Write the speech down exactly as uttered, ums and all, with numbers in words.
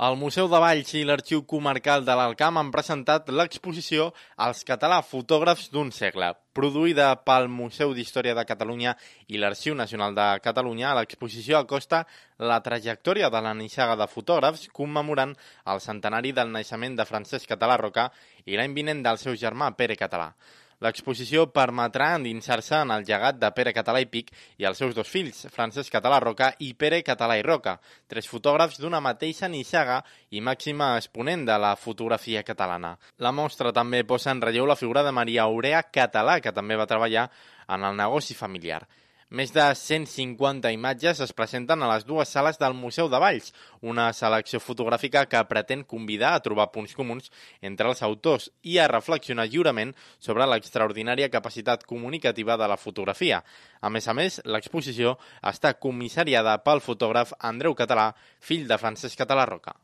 El Museu de Valls i l'Arxiu Comarcal de l'Alt Camp han presentat l'exposició Els català fotògrafs d'un segle. Produïda pel Museu d'Història de Catalunya i l'Arxiu Nacional de Catalunya, l'exposició acosta la trajectòria de la nissaga de fotògrafs commemorant el centenari del naixement de Francesc Català Roca i l'any vinent del seu germà Pere Català. L'exposició permetrà endinsar-se en el llegat de Pere Català i Pich i els seus dos fills, Francesc Català Roca i Pere Català i Roca, tres fotògrafs d'una mateixa nissaga i màxima exponent de la fotografia catalana. La mostra també posa en relleu la figura de Maria Aurea Català, que també va treballar en el negoci familiar. Més de cent cinquanta imatges es presenten a les dues sales del Museu de Valls, una selecció fotogràfica que pretén convidar a trobar punts comuns entre els autors i a reflexionar lliurement sobre l'extraordinària capacitat comunicativa de la fotografia. A més a més, l'exposició està comissariada pel fotògraf Andreu Català, fill de Francesc Català Roca.